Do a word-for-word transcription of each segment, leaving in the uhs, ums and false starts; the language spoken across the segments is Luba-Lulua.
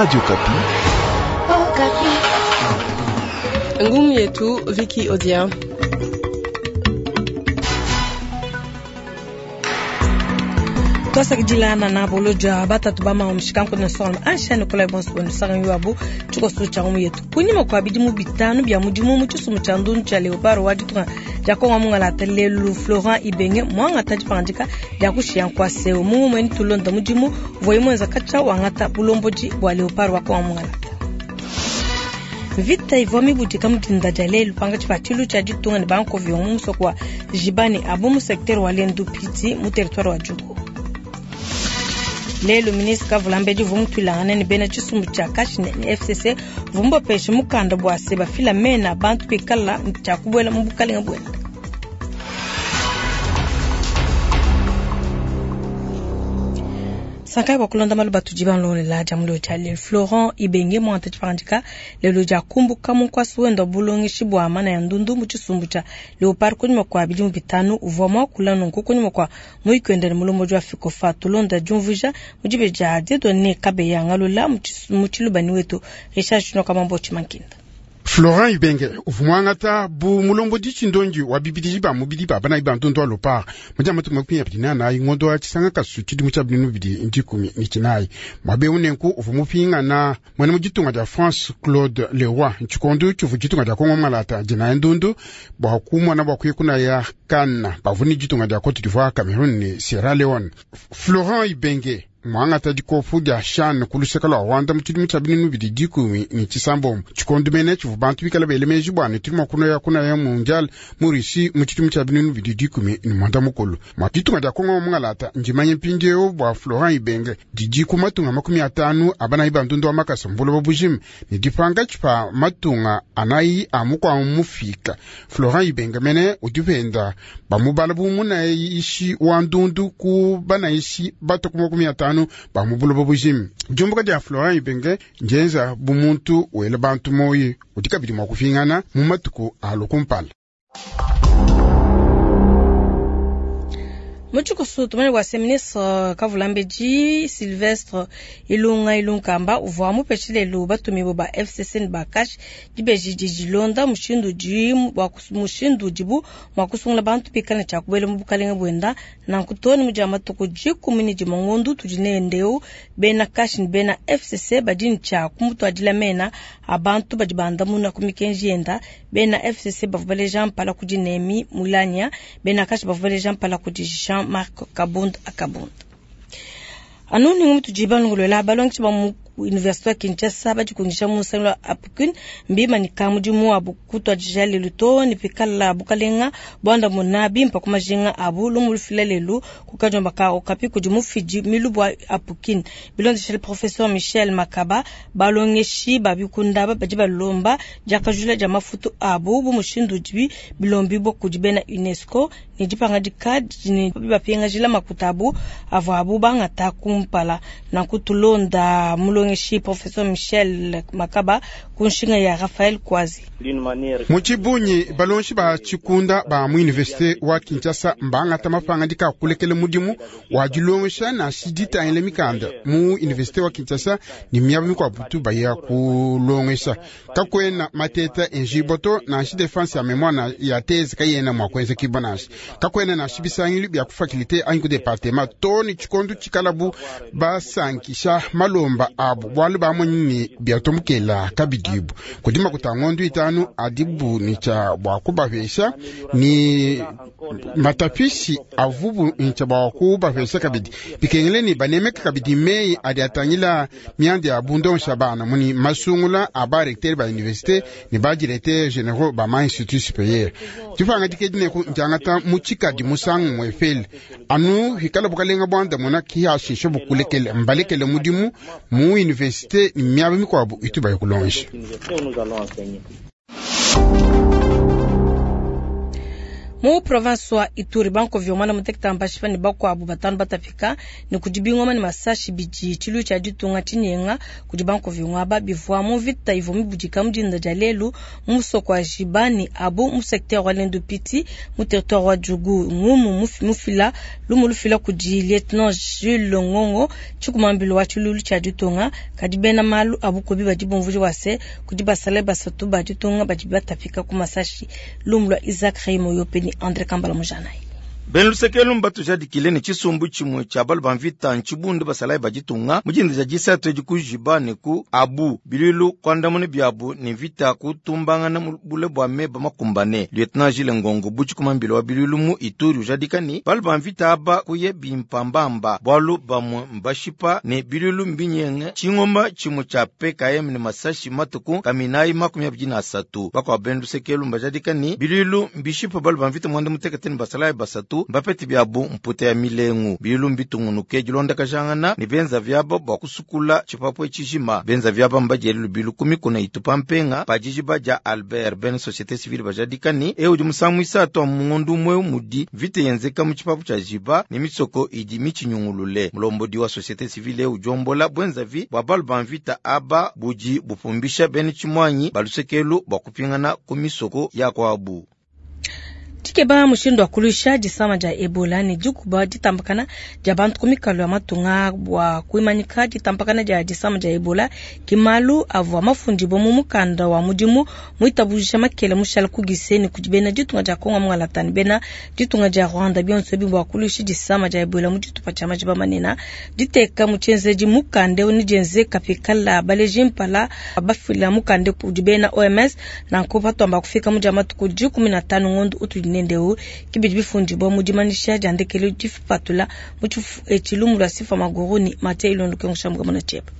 Radio Okapi. Ngumu yetu Vicky Odia. Twasakidilana na boloja batatu bama mushikanku na solma ansha Nikolai Bonso sanga yuabu tshikoso tshia ngumu yetu kunyima kwa bidimu bitanu bia mudimu mu tshisumbu tshia ndundu tshia Leopard wa ditunga dia Kongo mungalata lelu Florent Ibenge mwangata dipangadika dia kushiya nkwaseu mu mweni tulonda mudimu voyi mwenza katsha wangata bulombodi bua Leopard wa Kongo mungalata. Vita ivua mibudika mudinda dia lelu pangatshi pa tshilu tshia ditunga ne bankovi mu musoko wa Jibani abu mu secteur wa Lendu Piti mu territoire wa Djugu. Lelu ministre Kavulambedi uvua mutuilangane ne bena tshisumbu tshia Kashi ne F C C uvua mubapeshe mukanda bua se bafila mena bantu bikala tshia kubuela mu bukalenga buenda. Sankai wa kulonda malu batudi banlolela dia mulio dia lelu Florent Ibenge mwanta tshipangandika lelu dia kumbuka munkwasi wenda bulongeshi bua mana ya ndundu mu tshisumbu tshia Leopard kunyima kwa bidimu bitanu uvua muakula nunku kunyima kwa muikwenda ne mulombodi wa Fikofa tulonda diumvuija mu dibe dia Dieudonné Kabeya ngalula mu tshilubani wetu Richard Chinoka Mambo Tshimankinda. Florent Ibenge uvua muangata bu mulombodi tshindongi wa bibidi ba mubidi ba bana ba ndundu wa Leopard mudia matuku makumi abidi na anayi ngondo wa tshisanga kasu tshidimu tshia binunu bibidi ndikumi ni tshinayi mwabe unenku uvua mupingana mwene mu ditunga dia France Claude Leroy tshikondo tshivua ditunga dia Kongo malata dina ndundu bua kumona bua kuyekuna ya Kana bavuni ditunga dia Cote d'Ivoire Cameroun ne Sierra Leone. Florent Ibenge mwangata dikopu dia shan kuluseka lwa Rwanda mu tshidimu tshia binunu bibidi dikumi ni tshisambombo tshikondu mene tshivua bantu bikala bele meji bua ne tuli mua kunoya kuna ya mundial mu Russie mu tshidimu tshia binunu bibidi dikumi ni mwanda mukulu mwa ditunga dia Kongo mungalata ndimanye mpindieu bua Florent Ibenge didi ku matunga makumi atanu abanayi ba ndundu wa makasa mbuloba bujima ne dipanga tshipa matunga anayi a mukua mufika. Florent Ibenge mene udi penda bamubala bu munayishi wa ndundu ku banayishi batu ku makumi atanu ba mu buloba bujima. Diumbuka dia Florent Ibenge njenza bumuntu wela bantu moyi udi kabidi mua kufingana mu matuku a lukumpala. Muchikusu tumane wa ministre Kavulambedi Sylvestre Ilunga Ilunkamba uvua mupeshe lelu batumibu ba F C C ne ba Kash dibeji didilonda mushindu di wa mushindu dibu mua kusungula bantu bikala tshia kubuela mu bukalenga buenda nanku too ne mudia matuku dikumi ne dimue ngondu tudi nendeu bena Kash ne bena F C C badi ne tshia kumutuadila mena a bantu badi bandamuna ku mikenji yenda. Bena F C C bavua baleja mpala kudi Nemi Mulanya, bena Kash bavua baleja mpala kudi Jean-Marc Kabund Akabund. Anu ni mutu jiba ngolola balongi ba mu Université ya Kinshasa badikungisha mu nsangu wa Apukun mbima ni kamudimu wa bukutwa dijale luto ni pikala bukalenga bwanda munabi mpa kumajinga abu lumu lufila lelu kukajomba ka okapi kudi mufidi milubu Apukin bilondeshele professeur Michel Makaba balongeshi babikunda badi balomba diakajula dia mafutu abu bu mushindu dibi bilombi bo kudi bena UNESCO ni dipanga dikadi ni bapingajila makuta abu avua abu bangata kumpala na kutulonda mulongeshi professeur Michel Makaba kunshinga ya Raphaël Kwazi. Muchibunyi balonshi ba chikunda ba mu université wa Kinshasa mbangata mapanga dika kulekele mudimu wa dilongesha na shidita ile mikanda mu université wa Kinshasa ni miaba mikwa butu baya kulongesha kakwena mateta enjiboto na shi defense ya mémoire na ya thèse kayena mwa kwenza kibanashi kakwena na shibisangili bya ku faculté anyi ku département toni chikondu chikalabu basankisha malomba abu bwalu bamonyi byatomukela kabidibu kudima kutangondu itanu adibu ni cha bwa kubapesha ni matapishi avubu ncha bwa kubapesha kabidi bikengele ni banemeka kabidi mei adi atangila miandi ya bundon shabana muni masungula aba recteur ba université ni ba directeur généraux ba ma institut supérieur tufanga dikedine ku njangata muchikadi musangu mwefeli anu hikala bukalenga bwanda mona kihashisha bukulekele mbalekele mudimu mu université ni miaba mikwabu ituba yokulonje. Mu province wa Ituri bankovio mwana muteketa mbashipa ne bakwabu batanu batapika ne kudi bingoma ne masashi bidi tshilu tshia ditunga tshinyenga kudi bankovio ngaba bivua mu vita ivua mibudika mu dinda dia lelu mu musoko wa Jibani abu mu secteur wa Lendu Piti mu territoire wa Djugu ngumu mufila lumu lufila kudi lieutenant Jules Ngongo tshikumambilo wa tshilulu tshia ditunga kadi bena malu abu kobi badi bumvuji wase kudi basale basatu ba ditunga badi batapika ku masashi lumu lwa Isaac Raimo Yopeni André Kambala Mujanai. Bena lusekelo mbatujadikile ne tshisumbu tshimue tshia balu ba mvita ntshibundu basalayi ba ditunga mu dinda dia disatu edi ku Jiba ne ku Abu bilwilu kuandamuna biabu ne mvita kutumbangana mu bule bua meba makumbane. Lieutenant Gilles Ngongo butshikumambilo wa bilwilu mu Ituri ujadika ni balu ba mvita aba kuye bimpambamba bualu bamue mbashipa ne bilwilu mbinyenge tshingoma tshimue tshia P K M ne masashi matuku kaminayi makumi abidi na asatu. Bakwa bena lusekelo mbajadika ni bilwilu mbishipa balu ba mvita mwanda mutekete ne basalayi basatu mbapete biabu mputa ya milengu bilwilu mbitungunuke dilonda kajangana ne benza vyaba bua kusukula tshipapu tshijima benza vyaba mbadiele lubilu ku mikuna itupa mpenga pa dijiba dia Albert ben société civile bajadika ni eu udi musangu isatu mu ngondu umwe mudi vite yenzeka mu tshipapu tshia Jiba ne misoko idi michinyungulule. Mulombodi wa société civile eu jombola bwenzavi bua balu ba mvita aba budi bupumbisha bene tshimwanyi balusekelu bua kupingana ku misoko ya kwabu. Dikeba mushindu wa kulusha disama dia Ebola ne dikuba ditambakana dia bantu ku mikalo ya matunga bua kuimanyika ditambakana dia disama dia Ebola ki malu avua mafundibua mu mukanda wa mudimu muitabujisha makele mushala ku Gisenyi kudi bena ditunga dia Kongo Mungalata ne bena ditunga dia Rwanda bionso ebi bua kulusha disama dia Ebola mu ditupa tshia majiba manene diteka mu tshienzedi mukanda ne dienzeka pikala baleji mpala bafila mukanda kudi bena O M S nanku patuamba kufika mu dia matuku dikumi na tanu ngondo utudi nendeu kibidi bifundibwa mu dimanisha dia ndekelu dipatula mu tshilumu lwa sifa maguru ni Mathieu Ilondo Kengushambwa mona chepa.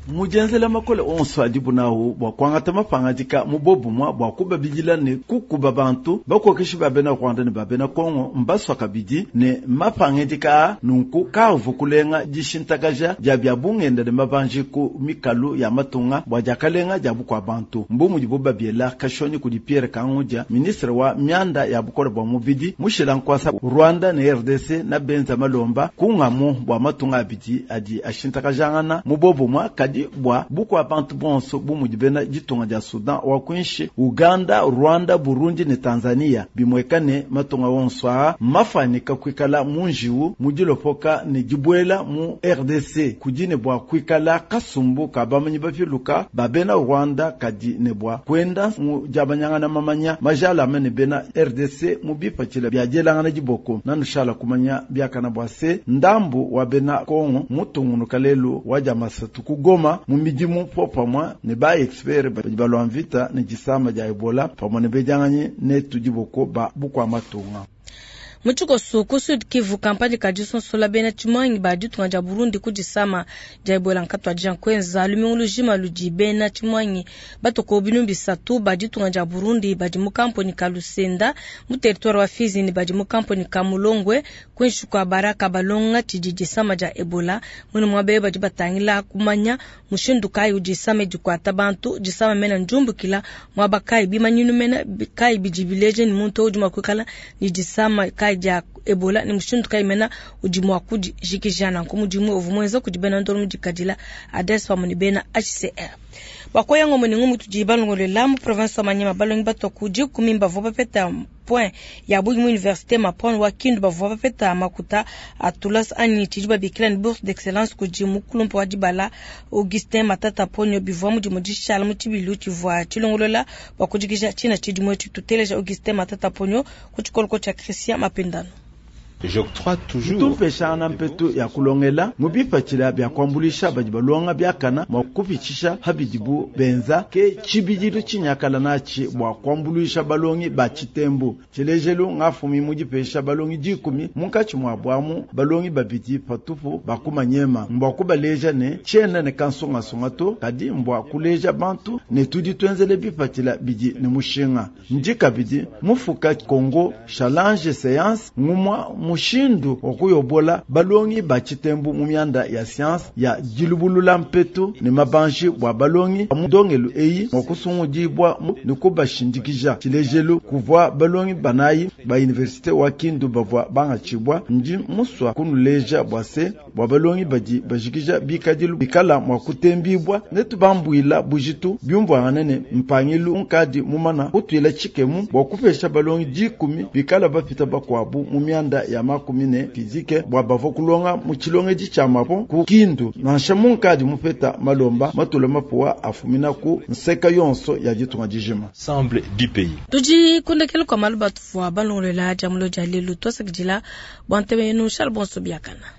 Mujenzela makole onso adibu nawu bua kuangata mapangadika mu bobumwa bua kubabidila ne kukuba bantu bakokeshi ba bena Rwanda ne ba bena Kongo mbaswa kabidi ne mapangadika nunku kavu kulenga dishintakaja dia bia bungenda ne mabanji ku mikalu ya matunga bua diakalenga dia bukua bantu mbu mudibu babiela kashonyi kudi Pierre Kangudia ministre wa mianda ya bukole bua mubidi mushila nkwasa Rwanda ne R D C na benza malomba kungamu bua matunga abidi adi ashintakajangana mu bobumwa kadi bua bukua bantu bonso bu mudi bena ditunga dia Sudan wa kwinshi Uganda, Rwanda, Burundi ne Tanzania bimwekane matunga wonso a mafanika kwikala munjiwu mudilopoka ne dibwela mu R D C kudine bua kwikala kasumbu ka bamanyi bapiluka ba bena Rwanda kadi ne bua kwenda mu diabanyangana mamanya majalame ne bena R D C mu bipatshila bia dielangana diboko nanushala kumanya biakana bua se ndambu wa bena Kongo mutungunuka lelu wa dia masatu ku Goma mu midimu popamwa ne ba expert badi balwa mvita ne disama dia Ebola pamwe ne bedianganyi ne tudiboko ba bukua matunga. Muchikoso ku Sud Kivu kampani kadisonsola bena tshimangi ba ditunga dia Burundi ku disama dia Ebola nkatwa dia kwenza lumingu lujima ludi bena tshimangi batoko binu bisatu ba ditunga dia Burundi badi mu kamponi ka Lusenda mu territoire wa Fizi ne badi mu kamponi ka Mulongwe kwinshi kwa Baraka balonga tshidi disama dia Ebola munu mwabe badi batangila kumanya mushindu kayi udisama dikwata bantu disama mena njumbukila mwaba kayi bimanyinu mena kayi bidibileje ni muntu udi mwakwikala ni disama kayi dia Ebola ni mushindu kayi mena udi mwakudi jikijana nkomudimu ovumwenza kudi bena ndolo mudikadila adresse pamwe ni bena H C R. Bakoyango muningu mutu balongolela mu province wa Manyema balongi batoku dikumi bavua bapeta point ya bungi mu université Mapon wa Kindu bavua bapeta makuta atulas anyi tshidi babikila ni bourse d'excellence kudi mukulumpa wa dibala Augustin Matata Ponyo bivua mudimu dishala mu tshibilu tshivua tshilongolola bua kujikija tshina tshidimu etshi. Tuteleja Augustin Matata Ponyo ku tshikoloko tshia Christian Mapendano. J'octroie toujours tumpeshana mpetu ya kulongela mubipatshila bya kwambulisha badi balonga byakana mwa kupitshisha habidibu benza ke tshibidilu tshinyakala natshi bua kwambulisha balongi ba tshitembu tshilejelu ngafumi mudipesha balongi dikumi munkatshi mwa bwamu balongi babidi patupu bakumanyema mbwa kubaleja ne tshiena ne kansungasunga to kadi mbwa kuleja bantu ne tudi twenzele bipatshila bidi ne mushinga ndi kabidi mufuka Congo challenge séance ngumwa mushindu wa kuyobola balongi ba tshitembu mu mianda ya science ya dilubulula mpetu ne mabanji bua balongi mu ndongelu eyi mua kusungudibua ne kubashindikija. Tshilejelu, kuvua balongi banayi ba universite wa Kindu bavua bangatshibua. Ndi musua kunuleja bua se bua balongi badi bajikija bikadilu bikala mua kutembibua ne tubambuila bujitu biumvuangane ne mpangilu nkadi mumana kutuila tshikemu bua kupesha balongi dikumi bikala bapita bakuabu mu mianda ya makumi ne fizike bua bavua kulonga mu tshilongedi tshia mapo ku Kindu nansha munkadi mupeta malomba matula mapuwa afumina ku nseka yonso ya ditunga dijima. Ensemble du pays. Tudi kundekela kwa malu batuvua balongolola dia mulo dia lelu tuasakidila bua ntema yenu shala bonso biakana.